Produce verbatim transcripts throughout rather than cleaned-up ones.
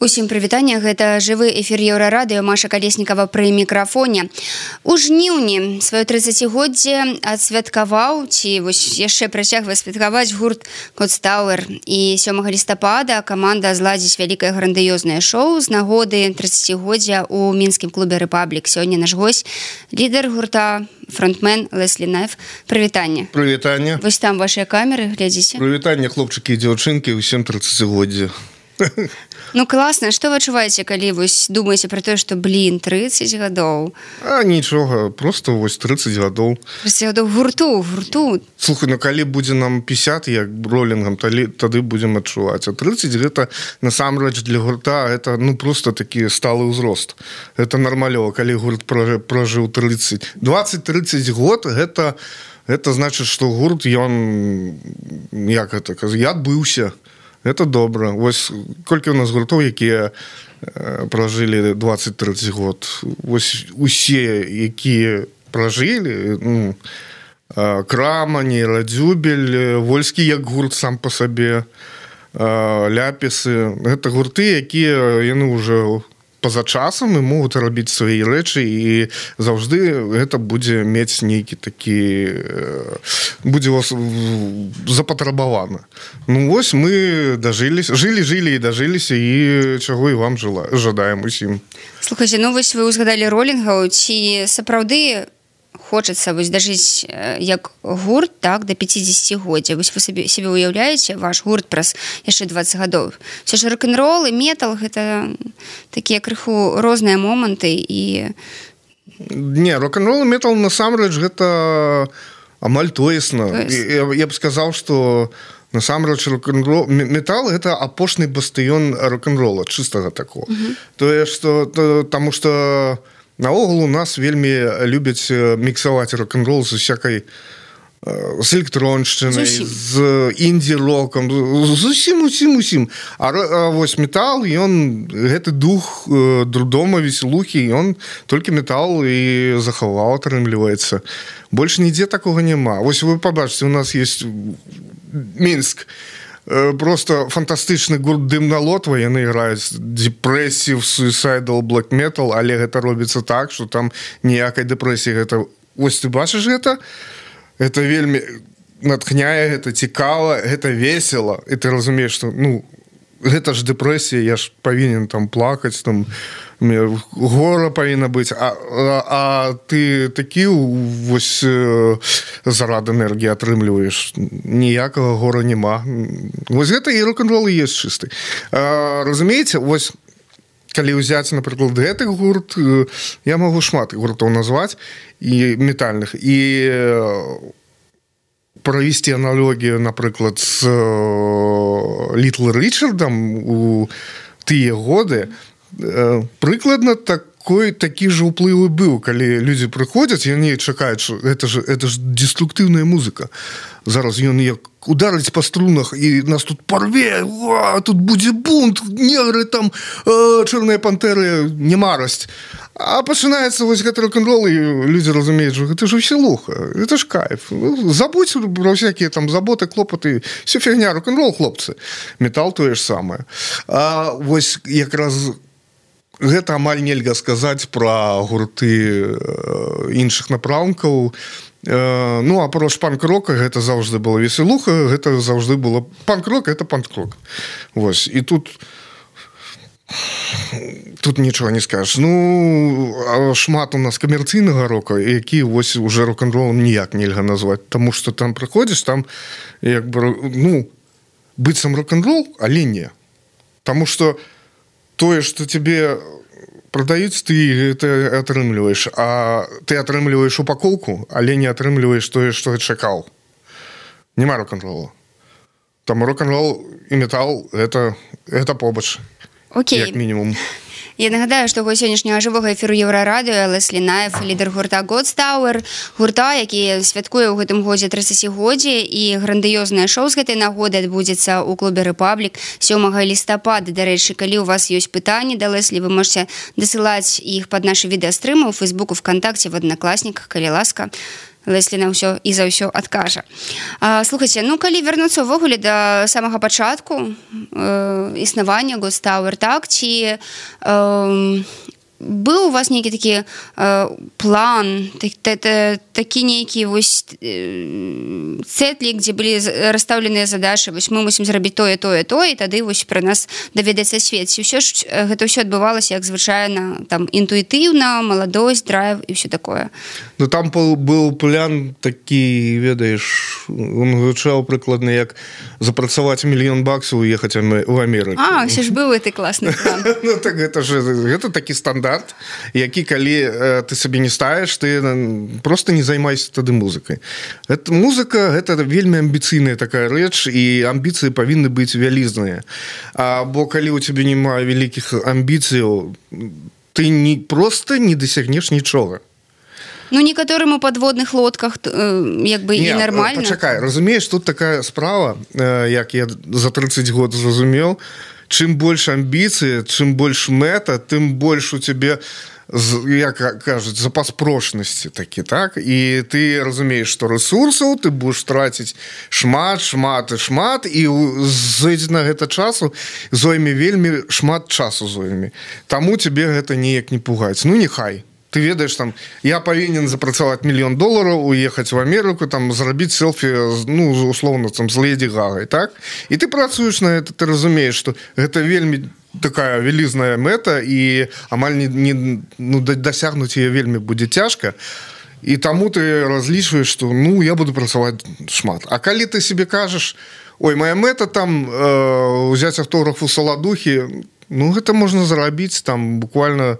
Усім прывітанне, гэта жывы эфір Еўрарадыё, Маша Калеснікава пры мікрафоне. У жніўні сваё трыццацігоддзе адсвяткаваў, ці вось яшчэ працягвае святкаваць гурт Godstower. І сёмага лістапада каманда зладзіць вялікае грандыёзнае шоу з нагоды трыццацігоддзя ў мінскім клубе «Рэпаблік». Сёння наш госць, лідар гурта, фронтмен Леслі Найф. Прывітанне. Прывітанне. Вось там вашыя камеры, глядзіце. Прывітанне, хлопчыкі і дзяўчынкі, усім трыццацігоддзя. Ну класна, што вы адчуваеце, калі вось думаеце пра тое, што, блін, трыццаць гадоў? А нічога, просто вось трыццаць гадоў. трыццаць гадоў гурту, гурту. Слухай, ну калі будзе нам пятьдесят, як ролінгам, тады, тады будзем адчуваць. А трыццаць гэта, насамрэч, для гурта, это, ну, просто такі сталы ўзрост. Это нармалёва, калі гурт пражыў трыццаць. дваццаць-трыццаць год, гэта, гэта значыць, што гурт, ён, як гэта казаць, я адбыўся. Это добра. Вось колькі у нас гуртоў, якія э, пражылі дваццаць-трыццаць год. Вось усе, якія пражылі, ну, э, Крама, Нейрадзюбель, Вольскі як гурт сам па сабе, э, Ляпісы. Гэта гурты, якія яны ўжо па-за часам і могуць рабіць свае рэчы, і заўжды гэта будзе мець нейкі такі, будзе вас запатрабавана. Ну вось мы дажыліся, жылі, жылі і дажыліся, і чаго і вам жала, жадаем усім. Слухайце, ну вось вы узгадалі ролінгаў, ці сапраўды хочацца вось дажыць як гурт, так, да пяцідзесяцігоддзя. Вось вы сабе, себе уяўляеце ваш гурт праз яшчэ дваццаць гадоў. Все ж рок-н-рол і метал гэта такія крыху розныя моманты і... Не, рок-н-рол і метал насамрэч гэта амаль тоесна. Я, я б сказаў, што насамрэч рок-н-рол, метал гэта апошні бастыён рок-н-рола, чыстага такого. Uh-huh. Тое, што, то, таму што наогул у нас вельмі любяць міксаваць рок-н-рол з усякай, з электроншчынай, з інді-рокам, з усім, усім, усім. А, а вось метал, ён, гэты дух друдома, веселухі, ён толькі метал і захаваў, атрымліваецца. Больш нідзе такога няма. Вось вы пабачыце, у нас есть Мінск, просто фантастычны гурт Дымналотва, яны граюць депрэсів, суицидal, black metal, але гэта робіцца так, што там ніякай дэпрэсіі. Гэта, ось ты бачыш гэта? Гэта вельмі натхняе, гэта цікава, гэта весела. І ты разумееш, што, ну, гэта ж дэпрэсія, я ж павінен там плакаць, там, гора павінна быць, а, а, а ты такі вось зарад энергіі атрымліваеш, ніякага гора няма. Вось гэта і рок-н-рол і ёсць чысты. А, разумееце, вось калі ўзяць, напрыклад, гэты гурт, я магу шмат гуртоў назваць, і метальных, і правесці аналогію, напрыклад, з Літл Річардам у тыя годы, прыкладна такой, такі ж уплывы быў, калі людзі прыходзяць, яны чакаюць, што гэта ж, гэта ж деструктыўная музыка. Зараз ён як ударыць па струнах, і нас тут парве, а, тут будзе бунт, негры там, э, чорныя пантэры, немарасць. А пачынаецца вось гэты рок-н-рол, і людзі разумеюць, што гэта ж весялуха, гэта ж кайф. Забудзь пра всякія там заботы, клопаты, все фігня, рок-н-рол, хлопцы. Метал тое ж самае. А вось якраз гэта амаль нельга сказаць пра гурты іншых напрамкаў. Ну, а про панк-рока гэта заўжды была весялуха, гэта заўжды было... Панк-рок — гэта панк-рок. Вось, і тут... Тут нічога не скажаш. Ну, шмат у нас камерцыйнага рока, які вось уже рок-н-ролом ніяк нельга назваць, таму што там прыходзіш, там як бы, ну, быццам рок-н-рол, але не. Таму што тое, што тебе прадаюць, ты гэта атрымліваеш, а ты атрымліваеш упакоўку, але не атрымліваеш тое, што чакаў. Нема рок-н-рола. Таму рок-н-рол і метал — гэта, гэта побач. Окей. Як мінімум. Я нагадаю, што госць сённяшняга жывога эфіру Еўрарадыё Леслі Найф, лідар гурта Godstower, гурта, які святкуе ў гэтым годзе трыццацігоддзе, і грандыёзнае шоу з гэтай нагоды адбудзецца ў клубе «Рэпаблік» сёмага лістапада. Дарэчы, калі ў вас ёсць пытанні да Леслі, вы можете дасылаць іх пад нашы відэастрымы ў Фейсбуку, ВКонтакце, в Аднакласніках, калі ласка. Леслі на ўсё і за ўсё адкажа. А, слухайце, ну калі вярнуцца ўвогуле да самага пачатку э, існавання Ghost Tower, так, ці э, быў у вас нейкі такі э, план, так, та, такі нейкі вось э, цэтлік, дзе былі расстаўленыя задачы, вось мы мусім зрабіць тое, тое, тое, і тады вось пра нас даведаецца свет. Ці ўсё ж гэта ўсё адбывалася, як звычайна, там, інтуітыўна, маладосць, драйв і ўсё такое? Ну, там быў план такі, ведаеш, он гучаў прыкладна, як запрацаваць мільён баксаў і ехаць у Амерыку. А, ўсё ж быў гэты класны план. Ну, так гэта ж, гэта такі стандарт, які калі э, ты сабе не ставіш, ты просто не займайся тады музыкай. Это музыка, гэта вельмі амбіцыйная такая рэч, і амбіцыі павінны быць вялізныя. А, бо калі у цябе няма вялікіх амбіцыяў, ты не, просто не дасягнеш нічога. Ну, некаторым у падводных лодках э, як бы не, і нармальна. Пачакай, разумееш, тут такая справа, э, як я за тридцать год зразумеў, чым больш амбіцыі, чым больш мэта, тым больш у цябе, як кажуць, запас прочнасці такі, так? І ты разумееш, што рэсурсаў ты будзеш траціць шмат, шмат і шмат, і зойдзе на гэта часу зойме вельмі шмат часу зойме. Таму цябе гэта неяк не пугаць. Ну, нехай. Ты ведаеш, там, я павінен запрацаваць мільён долараў, уехаць в Амерыку, там, зрабіць селфі, ну, условно, там, з Леді Гагай, так? І ты працуеш на гэта, ты разумееш, што гэта вельмі такая вялізная мэта, і амаль не, не, ну, дасягнуць яе вельмі будзе цяжка, і таму ты разлічваеш, што, ну, я буду працаваць шмат. А калі ты себе кажаш, ой, моя мэта там э, узяць аўтограф у Саладухі, ну, гэта можна зарабіць, там, буквально,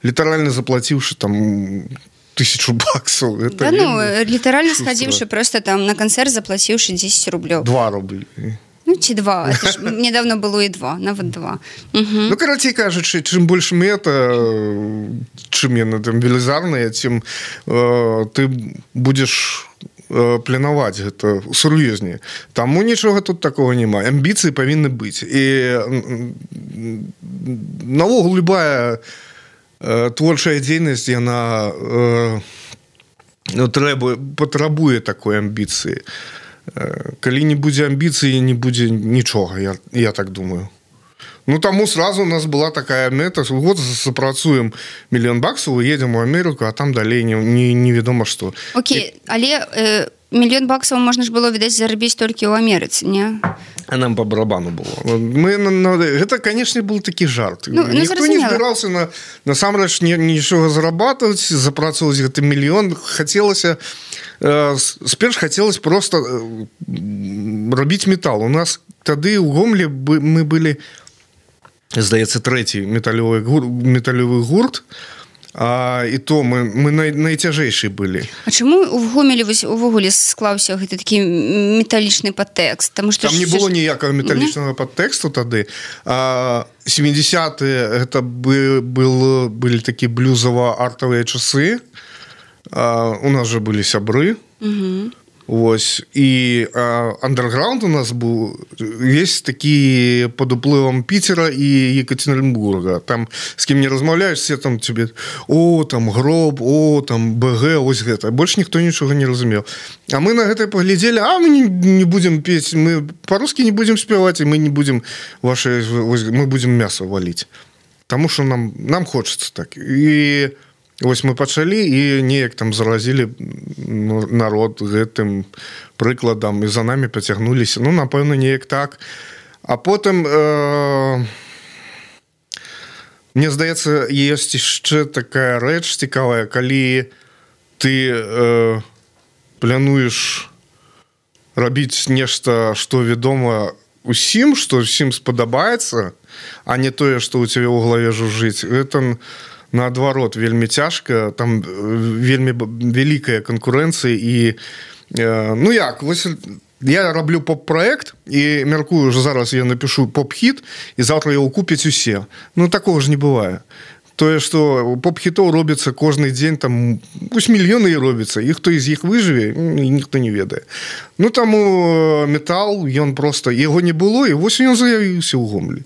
літаральна заплаціўшы, там, тысячу баксаў. Да, ну, літаральна схадзіўшы просто там на канцэрт, заплаціўшы дзесяць рублёў. Два рублі. Ну, ці два. Это ж недавно было і два, нават два. Угу. Ну, карацей кажучы, чым больш мэта, чым яна там велізарная, тым э, ты будзеш планаваць гэта сур'ёзней. Таму нічога тут такого няма. Амбіцыі павінны быць. І навогул любая э, творчая дзейнасць, яна э, ну, трэба, патрабуе такой амбіцыі. Э, калі не будзе амбіцыі, не будзе нічога, я, я так думаю. Ну, таму сразу у нас была такая мэта, вот запрацуем мільён баксаў, уедем у Амерыку, а там далей не, не, невядома што. Окей, і... але э, мільён баксаў можна ж было, відаць, зарабіць толькі ў Амерыцы, не? А нам по барабану было. Мы, на, на, гэта, канешне, был такі жарт. Ну, Ніхто ну, не збіраўся на, насамрэч нічога зарабатываць, запрацоўваць гэты мільён. Хацелася, э, сперш хацелось просто э, рабіць метал. У нас тады ў Гомлі мы былі, здаецца, трэці металёвы гурт, металёвы гурт, а, і то мы, мы най, найцяжэйшыя былі. А чаму ў Гомелі увогуле склаўся гэты такі металічны падтэкст? Там не было ніякага металічнага падтэксту тады. А, сямідзесятыя гэта бы, был, былі такі блюзава-артавыя часы. А, у нас жа былі сябры. Угу. Вось, і андерграунд у нас быў весь такі пад уплывам Піцера і Екатеринбурга. Там з кім не размаўляеш, все там тебе, о, там Гроб, о, там БГ, ось гэта. Больш ніхто нічога не разумеў. А мы на гэта паглядзелі, а мы не, не будзем пець, мы па-рускі не будзем спяваць, і мы не будзем ваши, мы будзем мясо валіць. Таму што нам, нам хочацца так. І вось мы пачалі і неяк там заразілі народ гэтым прыкладам і за намі пацягнуліся. Ну, напэўна, неяк так. А потым э, мне здаецца, ёсць яшчэ такая рэч цікавая, калі ты э, плануеш рабіць нешта, што вядома усім, што ўсім спадабаецца, а не тое, што ў цябе ў галаве жужжыць. Гэта наадварот, вельмі цяжка, там вельмі вялікая канкурэнцыя і, э, ну як, вось я раблю поп-праект і мяркую, што зараз я напишу поп-хіт і заўтра яго купяць усе. Ну, такого ж не бывае. тое што поп-хітоў робіцца кожны дзень там вось мільёны і робіцца і хто з іх выжыве ніхто не ведае. Ну таму метал ён просто яго не было і вось ён заявіўся ў Гомелі.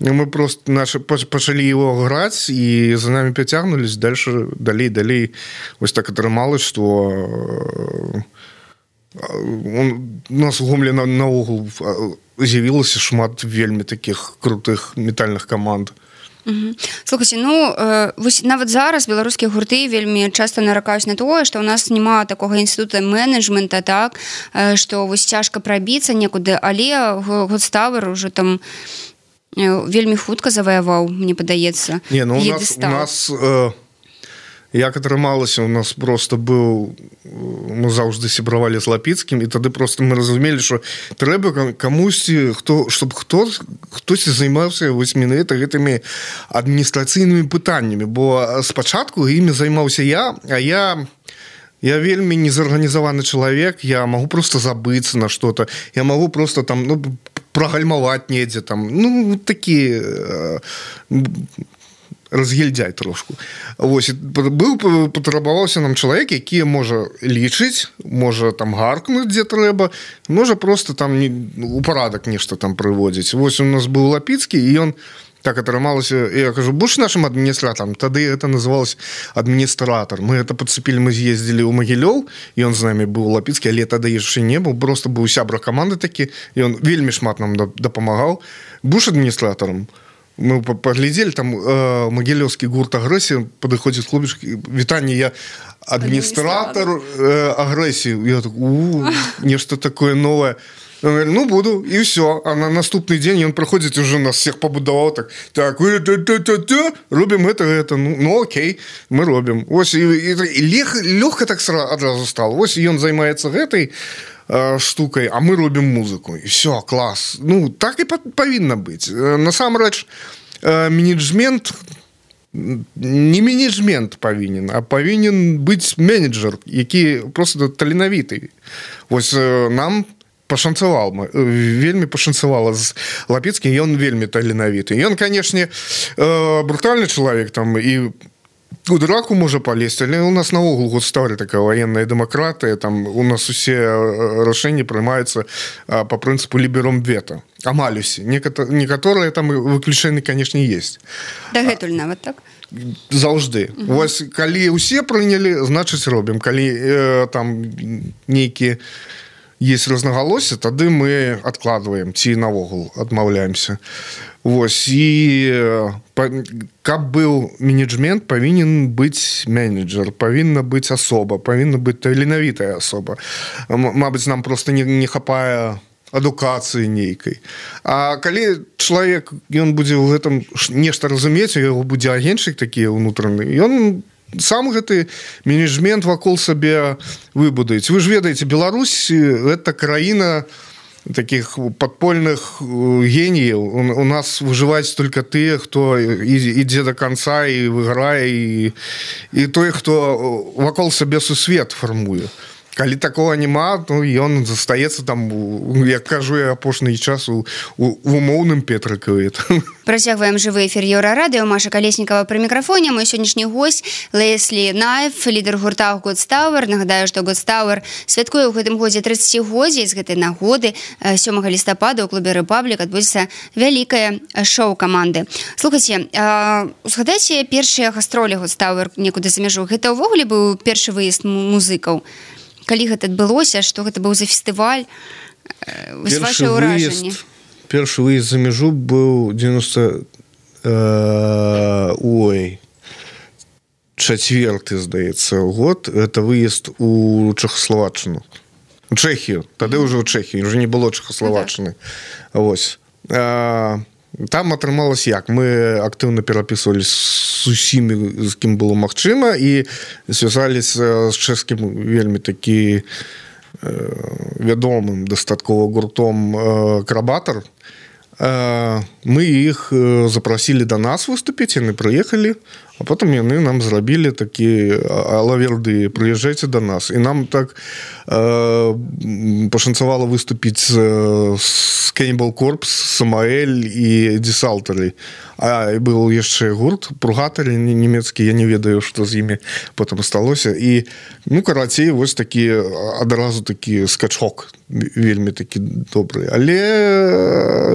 Мы просто наши пачалі его граць і за нами пацягнулись дальше далей далей вось так атрымалось, што он, у нас у Гомелі на, наогул з'явілася шмат вельмі таких крутых метальных каманд. Угу. Слухайте, ну э, вось нават зараз беларускія гурты вельмі часта наракаюць на тое, што ў нас няма такога інстытута менеджмента, так, э, што вось цяжка прабіцца некуды, але Godstower уже там э, вельмі хутка заваяваў, мне падаецца. Не, ну у нас, у нас э, як атрымалася, у нас просто быў, мы заўжды сябравалі з Лапіцкім, і тады просто мы разумелі, што трэба камусьці, хто, щоб хто, хтось займаўся вось менавіта гэтымі адміністрацыйнымі пытаннямі, бо спачатку імі займаўся я, а я я вельмі незарганізаваны чалавек, я магу просто забыцца на што-то, я магу просто там, ну, прагальмаваць недзе там, ну, такі разгильдяй трошку. Вось, быў, патрабаваўся нам чалавек, які можа лічыць, можа там гаркнуць, дзе трэба, можа просто там не, у парадак нешта там прыводзіць. Вось у нас быў Лапіцкі, і ён так атрымалася, я кажу, будзеш нашим адміністратарам? Тады это называлось адміністратор. Мы это подцепілі, мы з'ездзілі ў Магілёў, і ён з намі быў Лапіцкі, але тады яшчэ не быў, просто быў сябра каманды такі, і ён вельмі шмат нам дапамагаў. Будзеш адміністратарам? Мы поглядели, там э, магілёўскі гурт «Агрэсія», падыходзіць хлопчык, вітанне, я адміністратор э, «Агрэсіі». Я так, у, нешта такое новое. Он говорит, ну, буду, и все. А на наступный день он проходит, уже нас всех побудовал, так, так, робим это, это, ну, ну окей, мы робим. Ось, и, и, и лег, легко так сразу стало. Ось, и он занимается этой штукой, а мы робим музыку. И все, класс. Ну, так и повинно быть. Насамрэч, менеджмент, не менеджмент повинен, а повинен быть менеджер, які просто таленавіты. Ось нам пашанцавал, вельмі пашанцавала з Лапіцкім, ён вельмі таленавіты. Ён, канешне, брутальны чалавек там і у драку можа палезть, але у нас наогул Godstower такая военная демократия, там у нас усе рашэнні прымаюцца по прынцыпу ліберум вето. Амаль усе. Некаторыя там выключэнні, канешне, есть. Дагэтуль нават так? Заўжды. Угу. Вось, калі усе прынялі, значыць робім. Калі э, там нейкі есть рознагалоссі, тады мы адкладваем, ці наогул адмаўляемся. Вось, і каб быў менеджмент, павінен быць менеджер, павінна быць асоба, павінна быць таленавітая асоба. Мабыць, нам просто не, не хапае адукацыі нейкай. А калі чалавек, ён будзе ў гэтым нешта разумець, у яго будзе агеншчык такі ўнутраны, ён сам гэты менеджмент вакол сабе выбудуць. Вы ж ведаеце, Беларусь – это краіна таких подпольных геніяў. У нас выжываюць только тыя, хто ідзе до конца і выйграе, і, і той, хто вакол сабе сусвет фармуе. Калі такого няма, то ён застаецца там, як кажу я апошні час, у, у умоўным Петрыкаве. Працягваем жывы эфір Еўрарадыё. Маша Калеснікава пры мікрафоне. Мой сённяшні госць Леслі Найф, лідар гурта Godstower. Нагадаю, што Godstower святкуе ў гэтым годзе трыццацігоддзе. З гэтай нагоды сёмага лістапада ў клубе «Рэпаблік» адбудзецца вялікае шоу каманды. Слухайце, узгадайце першыя гастролі Godstower некуды за мяжу. Гэта ўвогуле быў першы выезд музыкаў? Калі гэта адбылося, што гэта быў за фестываль, ваши ўражанні? Першы выезд за мяжу быў девяносто э, ой чацвёрты, здаецца, год. Это выезд у Чэхаславаччыну, у Чэхію. Тады ўжо ў Чэхію, ўжо не было Чэхаславаччыны. Вось. Э, там атрымалось як? Мы актыўна перапісвалі з усімі, з кім было магчыма, і звязаліся з чэшскім вельмі такі э, вядомым дастаткова гуртом э, «Крабатар». Э, мы іх запрасілі да нас выступіць, яны прыехалі, а потым яны нам зрабілі такі алаверды, прыязджайце да нас. І нам так э, пашанцавала выступіць з, з Cannibal Corpse, Самаэль і Десалтары. А был яшчэ гурт Пургатары нямецкі, я не ведаю, што з імі потым сталося. І ну карацей вось такі адразу такі скачок вельмі такі добры. Але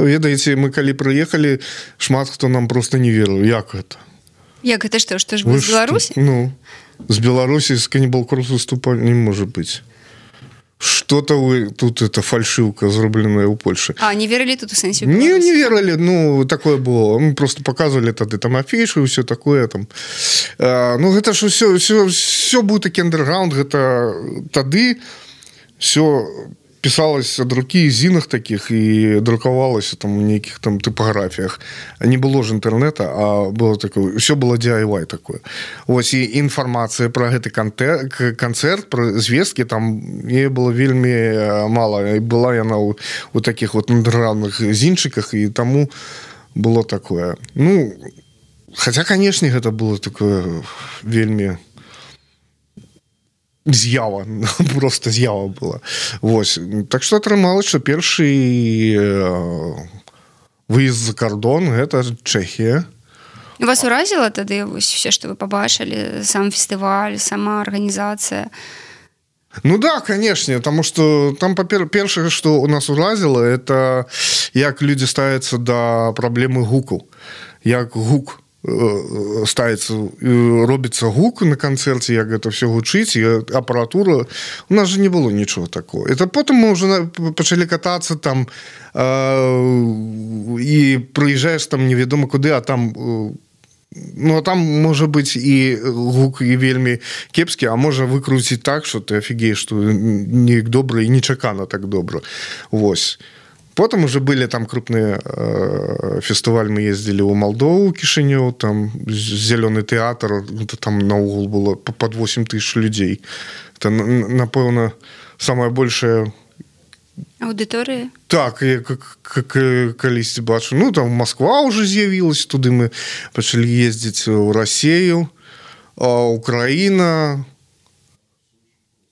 ведаеце, мы калі прыехалі, шмат хто нам просто не верыў, як гэта. Як гэта што, што ж вы з Беларусі? Ну, з Беларусі з Каннібал Корпс выступалі не можа быць. Что-то вы тут это фальшивка, зробленная у Польши. А, не верили тут в сенсе? Не, не верили, ну, такое было. Мы просто показывали тады там афишу и все такое там. А, ну, это ж все, все, все был таки андерграунд, это тады все писалось от руки, зинах таких, и друковалось там в неких там типографиях. Не было же интернета, а было такое, все было ди ай вай такое. Вот, и информация про этот концерт, про звездки, там ей было вельми мало. И была я на у, у таких вот андерграундных зинчиках, и тому было такое. Ну, хотя, конечно, это было такое вельми... з'ява, просто з'ява была. Вось. Так што атрымалася, што першы выезд за кордон гэта Чэхія. Вас уразіла тады вось все, што вы пабачылі, сам фестываль, сама арганізацыя? Ну да, конечно, потому что там першае, што у нас уразіла, это як людзі ставяцца да праблемы гуку. Як гук ставится, робится гук на концерте, як это все гучить, и аппаратура. У нас же не было ничего такого. Это потом мы уже почали кататься там, э, и проезжаешь там неведомо куда, а там... Ну, а там, может быть, и гук, и вельми кепский, а можно выкрутить так, что ты офигеешь, что не добро и нечакано так добро. Вось. Потом уже были там крупные э, фестивали, мы ездили в Молдову, Кишинев, там зеленый театр, это там на угол было под восемь тысяч людей. Это, напевно, самая большая... Аудитория? Так, я как, как колись бачу. Ну, там Москва уже з'явилась, туди мы почали ездить в Россию, Украина,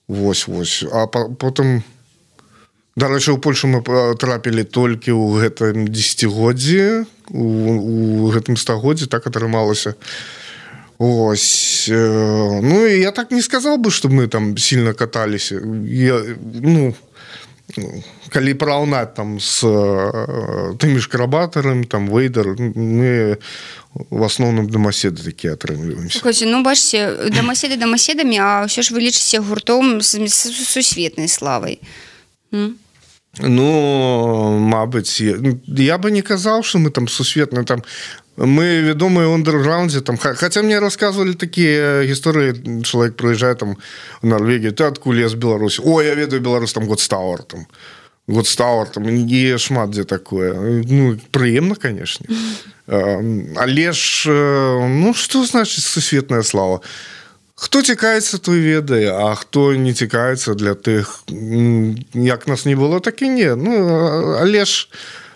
вось-вось. А потом... Да, раньше в Польшу мы трапили только ў гэтым десятигоддзі, у, у гэтым стагоддзі, так атрымалася. Ось. Ну, и я так не сказал бы, что мы там сильно катались. Я, ну, калі параўнаць там с тымі ж Крабатарам, там Вейдер, мы в основном домоседы такие атрымліваемся. Слухайте, ну, бачите, домоседы домоседами, а ўсё ж вы лічыце гуртом з сусветнай славай. М? Ну, мабыць, я, я бы не казаў, что мы там сусветны, там мы вядомыя ў андерграундзе, там, хотя мне рассказывали такие истории, человек приезжает там в Норвегию, ты откуль, я з Беларусі, ой, я ведаю Беларусь, там Годстауэр, там, Годстауэр, там, і шмат дзе такое. Ну, прыемна, конечно. Але ж, ну, что значит сусветная слава? Хто цікаецца, той ведае, а хто не цікаецца, для тых, як нас не было, так і не. Ну, але ж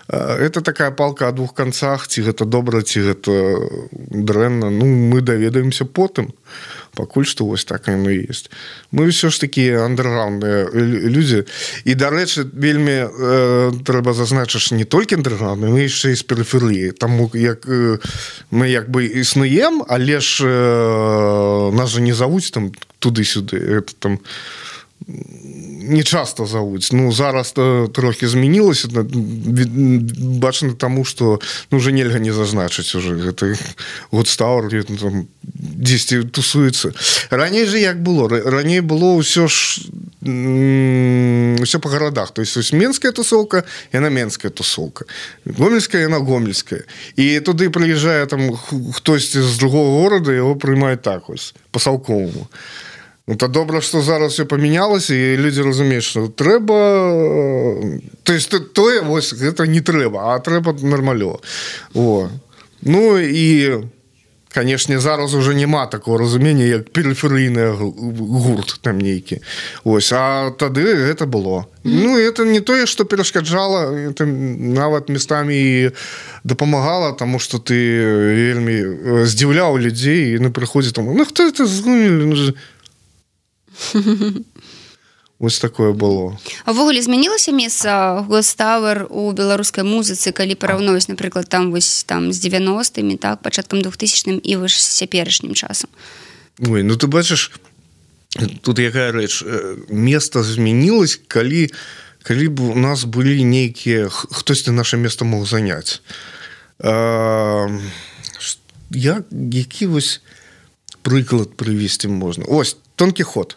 это такая палка о двух концах, ці гэта добра, ці гэта дрэнна. Ну, мы даведаемся потым, пакуль што вось так яно і ёсць. Мы ўсё ж такі андерграундныя людзі. І, дарэчы, вельмі э, трэба зазначыць не толькі андерграундныя, мы яшчэ і з перыферыі. Таму як э, мы як бы існуем, але ж э, нас же не завуць там туды-сюды. Это там не часто завуць. Ну, зараз трохі змянілася, бачна таму, што ну, уже нельга не зазначыць уже. Гэта Годстауэр там дзесьці тусуецца. Раней же як было? Раней было ўсё ж ўсё па гарадах. То есть менская тусовка, яна менская тусовка. Гомельская, яна гомельская. І туды прыязджае там хтосьці з другого горада, яго прыймаюць так вось, па-салковаму. Это добра, што зараз все памянялася, і людзі разумеюць, што трэба... То есть тое, вось, гэта не трэба, а трэба нармалёва. О. Ну, і, канешне, зараз уже няма такого разумення, як перыферыйны гурт там нейкі. Ось, а тады гэта было. Ну, это не тое, што перашкаджала, это нават местамі і дапамагала, таму што ты вельмі здзіўляў людзей, і на прыходзе там, ну, хто это згумілі? Вось такое было. А ўвогуле змянілася месца Гостауэр у беларускай музыцы, калі параўноўваць, напрыклад, там вось там з дзевяностымі, так, пачаткам двухтысячным і вось з цяперашнім часам? Ой, ну ты бачыш, тут якая рэч, месца змянілася, калі калі б у нас былі нейкія, хтосьці наша месца мог заняць. А, я, які вось прыклад прывесці можна? Ось, Дон Кіхот.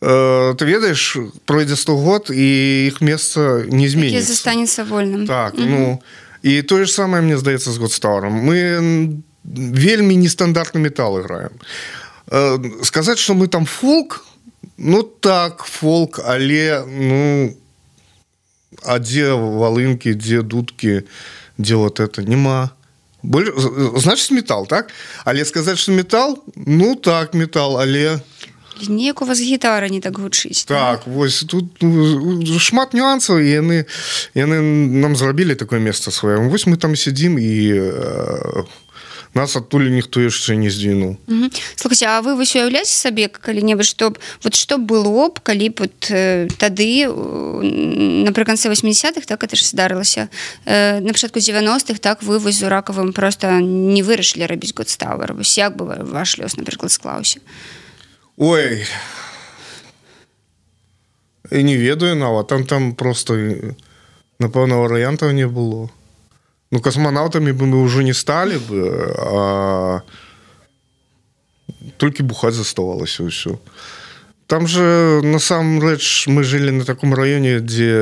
Ты ведаеш, пройдзе сто год, і іх месца не зменіцца. Які застанецца вольным. Так, mm-hmm. ну, і тое ж самае, мне здаецца, з Гостауэром. Мы вельмі нестандартны метал играем. Сказаць, што мы там фолк, ну так, фолк, але, ну, а дзе валынкі, дзе дудкі, дзе вот это, нема. Больш... Значыць, метал, так? Але сказаць, што метал, ну так, метал, але... Неяк у вас гітара не так гучыць. Так, да? Вось тут ну, шмат нюансаў, і яны, яны нам зрабілі такое месца сваё. Вось мы там сядзім, і э, нас адтуль ніхто яшчэ не здвінуў. Угу. Слухайце, а вы вось уяўляеце сабе калі-небудзь, што б, вот што было б, калі б вот, э, тады, напрыканцы восьмідзесятых, так, это ж здарылася, э, на пачатку дзевяностых, так, вы вось з Уракавым проста не вырашылі рабіць Гостауэр. Вось як бы ваш лёс, напрыклад, склаўся? Ой, і не ведаю нават, там там просто, напэўна, варыянтаў не было. Ну, космонавтамі бы мы ўжо не сталі бы, а толькі бухаць заставалася ўсё. Там же, насамрэч, мы жылі на таком раёне, дзе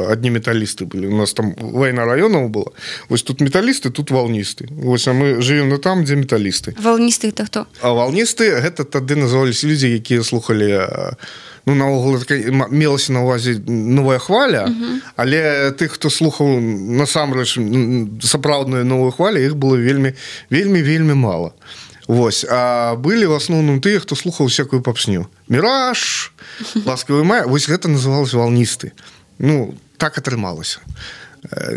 адні металісты былі. У нас там вайна раёнаў была. Вось тут металісты, тут валністы. Вось, а мы жывем на там, дзе металісты. Валністы это хто? А валністы, гэта тады называліся людзі, якія слухалі, ну, наогул, мелася на ўвазе новая хваля, uh-huh. але тых, хто слухаў насамрэч сапраўдную новую хвалю, іх было вельмі, вельмі, вельмі мала. Вось, а былі в асноўным тыя, хто слухаў всякую попсню. Міраж, ласкавы май, вось гэта называлася валністы. Ну, так атрымалася.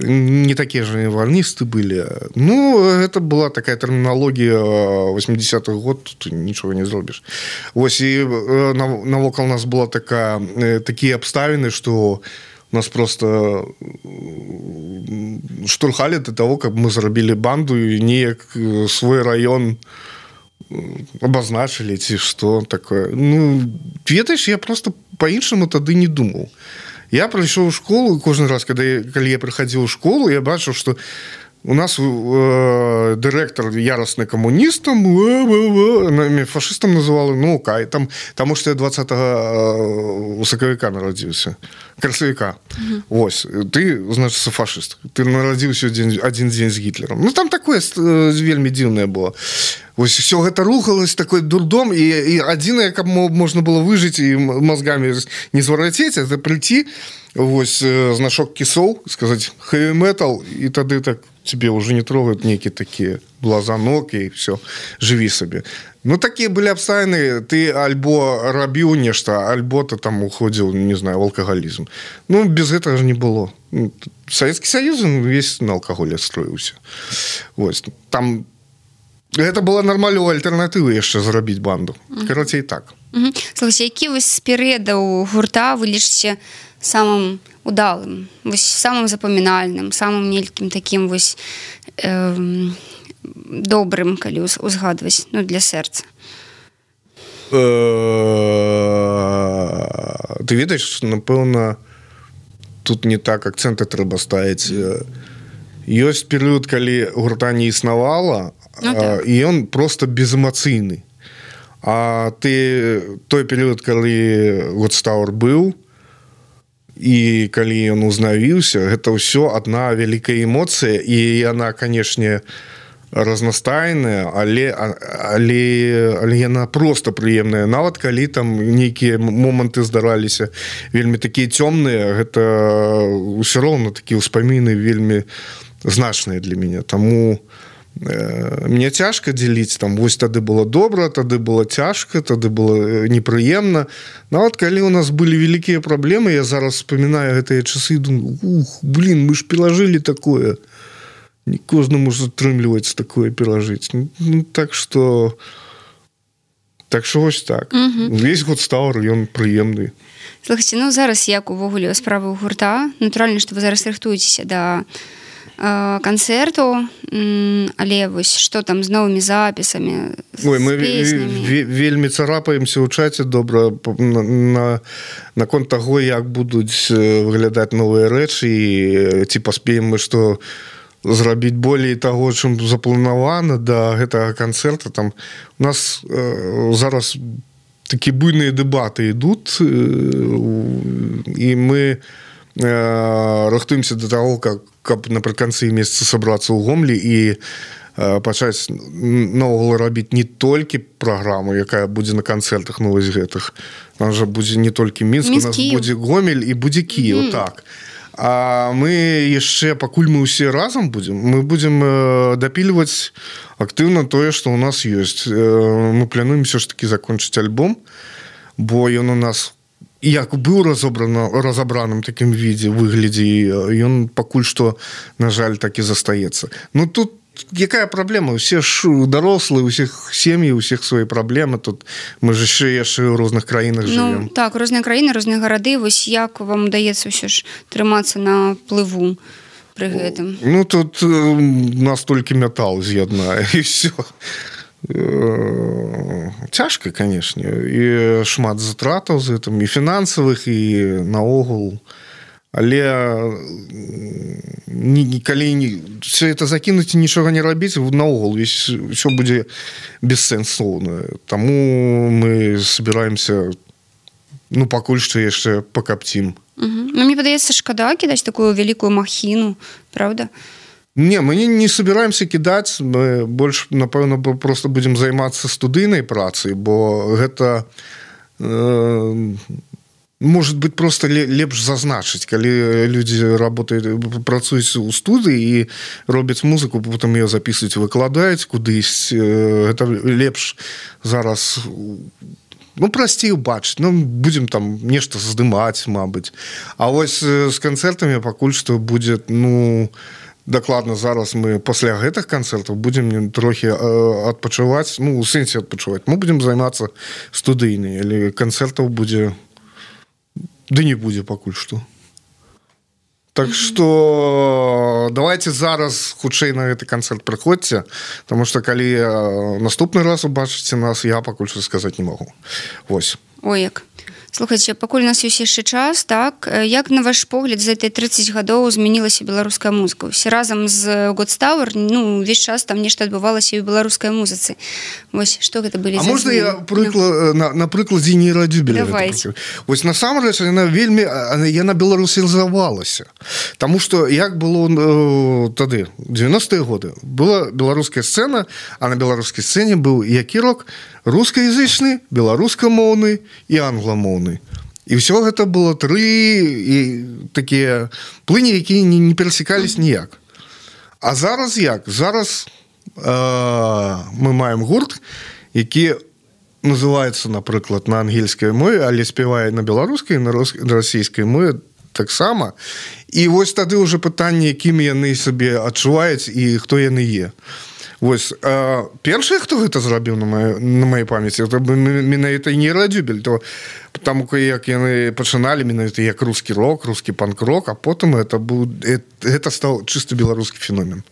Не такія ж валністы былі. Ну, гэта была такая тэрміналогія восьмідзесятых год, тут нічога не зробіш. Вось, і навокал нас была такая, такія абставіны, што нас просто штурхалі да таго, каб мы зрабілі банду і неяк свой раён абазначылі, ці што такое. Ну, ведаеш, я просто па-іншаму тады не думаў. Я прыйшоў у школу, кожны раз, калі я прыхадзіў у школу, я бачыў, што у нас э, дырэктар ярасны камуністам, э, фашыстам называли, ну, кай, там, таму што я двадцатага сакавіка нарадзіўся, красавіка. Mm-hmm. Вось, ты, значыцца, фашыст. Ты нарадзіўся дзень, адзін дзень з Гітлером. Ну, там такое э, вельмі дзіўнае было. Вось, все гэта рухалось, такой дурдом, і, і адзінае, каб можна было выжыць і мозгамі не зварацець, это прыйти, вось, значок кісоў, сказаць heavy metal, і тады так тебе уже не трогают некие такие блазанок, и все, живи себе. Ну, такие были абставины, ты альбо рабіў нешта, альбо ты там уходил, не знаю, в алкоголизм. Ну, без этого же не было. Советский Союз весь на алкоголе строился. Вот. Там это была нормальная альтернатива яшчэ зрабіць банду. Карацей, так. Угу. Слухайте, які вось з перыядаў гурта вы лічыце самым удалым, вось самым запамінальным, самым нейкім такім вось э, добрым, калі узгадваць, ну, для сэрца? Ты ведаеш, напэўна, тут не так акцэнты трэба ставіць. Ёсць перыяд, калі гурта не існавала, ну, так. І ён просто безэмацыйны. А ты той перыяд, калі Гостауэр быў, і калі ён узнавіўся, гэта ўсё адна вялікая эмоцыя, і яна, канешне, разнастайная, але, але, але яна проста прыемная. Нават калі там нейкія моманты здараліся вельмі такія цёмныя, гэта ўсё роўна такія ўспаміны вельмі значныя для мяне. Таму мне цяжка дзеліць, там, вось тады было добра, тады было цяжка, тады было непрыемна. Нават калі у нас былі вялікія праблемы, я зараз вспоминаю гэтыя часы і думаю, ух, блин, мы ж перажылі такое. Не кожнаму ж атрымліваецца такое перажыць. Ну, так што Так що ось так. Угу. Весь Годстауэр, ён прыемны. Слухайте, ну зараз як увогуле справы ў гурта? Натуральна, што вы зараз рыхтуецеся да э, канцэрту, але вось што там з новымі запісамі, з Ой, мы песнямі? ве- вельмі царапаемся ў чаце добра на, на, наконт таго, як будуць выглядаць новыя рэчы і ці паспеем мы што зрабіць болей таго, чым запланавана да гэтага канцэрта. Там у нас э, зараз такія буйныя дэбаты ідуць, э, і мы э, рыхтуемся да таго, как, каб напрыканцы месяца сабрацца ў Гомлі і э, пачаць наогул рабіць не толькі праграму, якая будзе на канцэртах, ну вось гэтых. Там жа будзе не толькі Мінск, у нас будзе Гомель і будзе Кіеў, mm. так. А мы яшчэ, пакуль мы ўсе разам будзем, мы будзем э, дапільваць актыўна тое, што ў нас ёсць. Э, мы плануем все ж таки закончыць альбом, бо ён у нас як быў разобрана, разабраным такім відзе, выглядзе, ён пакуль што, на жаль, так і застаецца. Ну тут якая праблема? Усе ж дарослыя, усіх сем'і, усіх свае праблемы. Тут мы ж яшчэ яшчэ ў розных краінах жывем. Ну, так, розныя краіны, розныя гарады. Вось як вам удаецца ўсё ж трымацца на плыву пры гэтым? Ну, тут у нас толькі метал з'яднае, і ўсё. Цяжка, канешне. І шмат затратаў з гэтым, і фінансавых, і наогул. Але калі все это закінуць і нічога не рабіць, наогул ўсё будзе бессэнсоўна. Таму мы собираемся, ну, пакуль што яшчэ пакапцім. Угу. Ну, мне падаецца, шкада кідаць такую вялікую махіну, правда? Не, мы не, не собираемся кідаць, мы больш, напэўна, просто будзем займацца студыйнай працай, бо гэта... Э, может быть, просто лепш зазначыць, калі людзі работаюць, працуюць у студыі і робяць музыку, потым яе записываюць, выкладаюць кудысь. Гэта лепш зараз, ну, прасцей убачыць. Ну, будзем там нешта здымаць, мабыць. А вось з канцэртамі пакуль што будзе, ну, дакладна зараз мы пасля гэтых канцэртаў будзем трохі адпачываць, ну, у сэнсе адпачываць. Мы будзем займацца студыйнай, але канцэртаў будзе... Да не будзе пакуль што. Так што давайте зараз хутчэй на гэты канцэрт прыходзьце, таму што калі наступны раз убачыце нас, я пакуль што сказаць не магу. Вось. Ой, як. Слухайце, пакуль у нас ёсць яшчэ час, так, як на ваш погляд за этой тридцать гадоў змянілася беларуская музыка? Усе разам з Годстауэр, ну, увесь час там нешта адбывалася і ў беларускай музыцы. Вось, што гэта былі за змены? А можна я прыклад, на, на прыкладзе нейрадзюбеля? Давайте. Вось насамрэч, яна вельмі, яна беларусізавалася. Таму што як было э, тады, девяностые годы, была беларуская сцэна, а на беларускай сцэне быў які рок? Рускаязычны, беларускамоўны і англамоўны. І ўсё гэта было тры і такія плыні, якія не, не перасекались ніяк. А зараз як? Зараз э, мы маем гурт, які называецца, напрыклад, на ангельскай мове, але спявае на беларускай, на расійскай мове таксама. І вось тады ўжо пытанне, якімі яны сабе адчуваюць і хто яны е. Вось, э, першае, хто гэта зрабіў на маёй, на маёй памяці, это менавіта нейрадзюбель, то там, як яны пачыналі, менавіта як рускі рок, рускі панк-рок, а потым это быў, гэта стаў чыста беларускі феномен.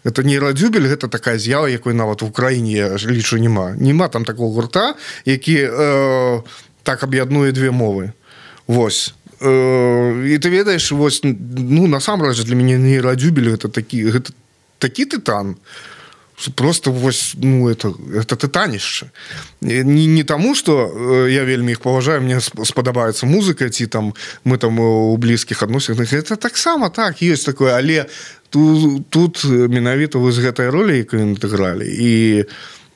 Гэта нейрадзюбель, гэта такая з'ява, якой нават в Украіне, я лічу, няма. Няма там такого гурта, які э, так аб'яднуе две мовы. Вось. Э, і ты ведаеш, вось, ну, насамрэч, для мяне нейрадзюбель гэта такі, гэта такі тытан, просто вось, ну, это, это тытанішча. Не, не таму, што я вельмі іх паважаю, мне спадабаецца музыка, ці там мы там у блізкіх адносінах. Это таксама так, ёсць такое, але тут, тут менавіта вы з гэтай ролі, якую яны гралі. І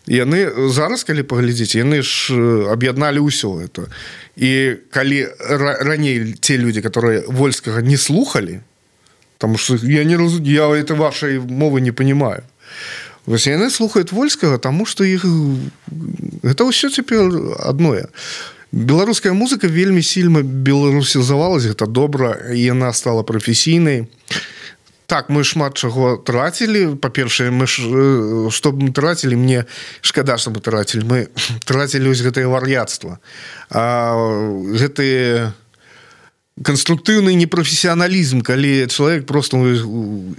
яны зараз, калі паглядзіце, яны ж аб'ядналі ўсё это. І калі раней те людзі, которые вольскага не слухалі, таму што я не разумею, я этой вашей мовы не понимаю. Вось яны слухаюць вольскага, таму што іх гэта ўсё цяпер адное. Беларуская музыка вельмі сильна беларусізавалась, гэта добра, і яна стала прафесійнай. Так, мы шмат чаго трацілі. Па-першае, мы ж, што б мы трацілі, мне шкада, што мы трацілі. Мы трацілі вось гэтае вар'яцтва. А гэтыя конструктыўны непрафесіяналізм, калі чалавек просто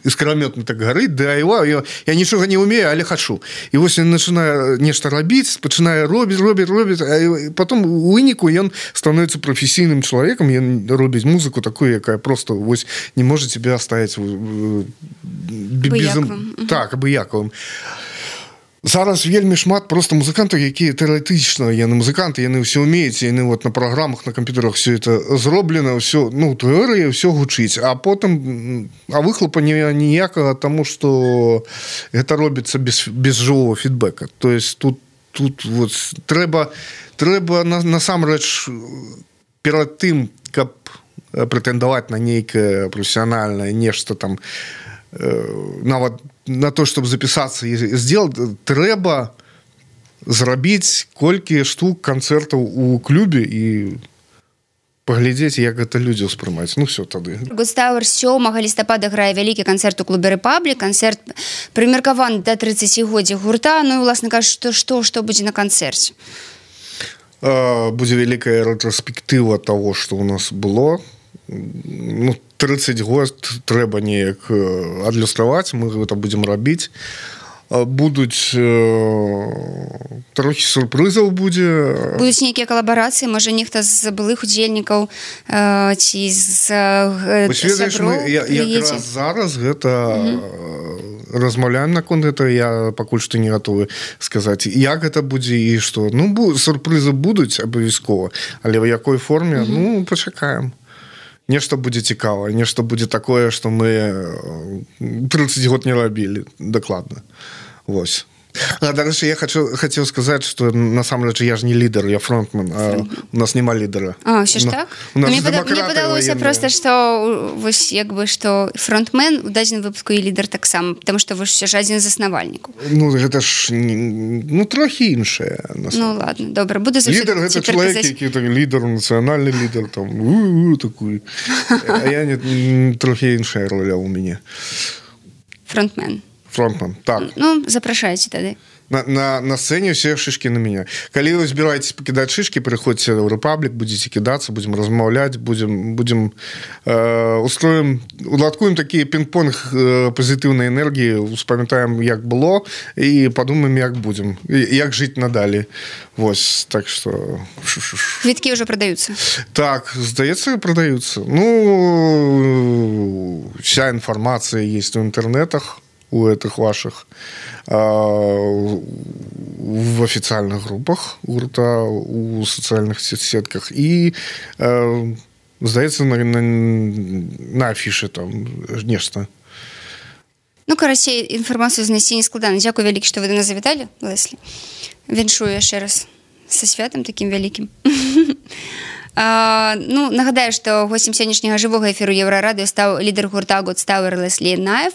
іскрамётна так гарыць, да его, я, я нічога не умею, але хачу. І вось ён пачынае нешта рабіць, пачынае робіць, робіць, робіць, а потом у выніку ён становіцца прафесійным чалавекам, ён робіць музыку такую, якая просто вось не можа тебе оставить безым... Так, абыякавым. Зараз вельмі шмат просто музыкантаў, якія тэарэтычна, яны музыканты, яны ўсё ўмеюць, яны вот на праграмах, на камп'ютарах все это зроблена, все, ну, тэорыя, все гучыць, а потым а выхлопа ніякага, таму што гэта робіцца без, без жывого фідбэка. То есть тут, тут вот трэба, трэба на, насамрэч перад тым, каб прэтэндаваць на нейкае прафесіянальнае нешта там, нават на то, чтобы записаться и сделать, трэба зрабіць колькі штук канцэртаў у клубе і паглядзець, як гэта людзі ўспрымаюць. Ну, все тады. Густауэр сёмага лістапада грае вялікі канцэрт у клубе «Рэпаблік». Канцэрт прымеркаваны да трыццацігоддзя гурта. Ну, і, уласна кажучы, што, што, што будзе на канцэрце? Будзе вялікая рэтраспектыва таго, што ў нас было. Ну, тридцать год трэба неяк адлюстраваць, мы гэта будзем рабіць. Будуць э, трохі сюрпрызаў будзе. Будуць нейкія калабарацыі, можа нехта з былых удзельнікаў э, ці з э, сяброў якраз зараз гэта угу. размаўляем наконт гэта, я пакуль што не гатовы сказаць, як гэта будзе і што. Ну, сюрпрызы будуць абавязкова, але ў якой форме, угу. ну, пачакаем. Нешта будзе цікава, нешта будзе такое, што мы тридцать год не рабілі, дакладна. Вось. А, дарэчы, я хочу, хацеў сказаць, што насамрэч я ж не лідар, я фронтмен, а у нас няма лідара. А, ўсё ж так? Ну, мне падалося проста, што вось як бы, што фронтмен у дадзеным выпуску і лідар таксама, потому што вы ж все ж адзін з заснавальнікаў. Ну, гэта ж, ну, трохі іншае. Ну, ладно, добра, буду заўсёды лідар гэта чалавек, які так, лідар, нацыянальны лідар, там, у-у, такой. А я не, трохі іншая роля ў мяне. Фронтмен. Фронтмен, так. Ну, запрашайце тады. На, на, на сцэне ўсе шишкі на мяне. Калі вы збіраецесь пакідаць шишкі, прыходзьце ў Рэпаблік, будзеце кідацца, будзем размаўляць, будзем, будзем э, устроім, уладкуем такі пінг-понг э, пазітыўнай энергіі, успамятаем, як было, і падумаем, як будзем, як жыць надалей. Вось, так што... Квіткі ўжо прадаюцца? Так, здаецца, прадаюцца. Ну, вся інфармацыя есть у інтэрнетах, у этих ваших а, в официальных группах гурта, у социальных сетках и а, здаецца на, на, на афішы там нешта. Ну, карацей, інфармацыю знайсці не складана. Дзякуй вялікі, што вы да нас завіталі, Леслі. Віншую яшчэ раз са святам такім вялікім. Uh, ну, нагадаю, што гостем сённяшняга жывога эфіру Еўрарадыё стаў лідар гурта Гудстауэр Леслі Наев.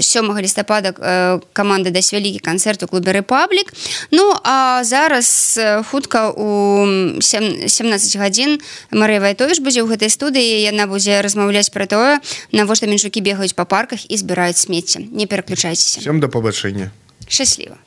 сёмага лістапада uh, каманда дасць вялікі канцэрт у клубе «Рэпаблік». Ну, а зараз uh, хутка у сямнаццаць гадзін Марыя Вайтовіч будзе ў гэтай студыі. Яна будзе размаўляць пра тое, навошта менчукі бегаюць па парках і збіраюць смецце. Не пераключайцеся. Всем да пабачэння. Шчасліва.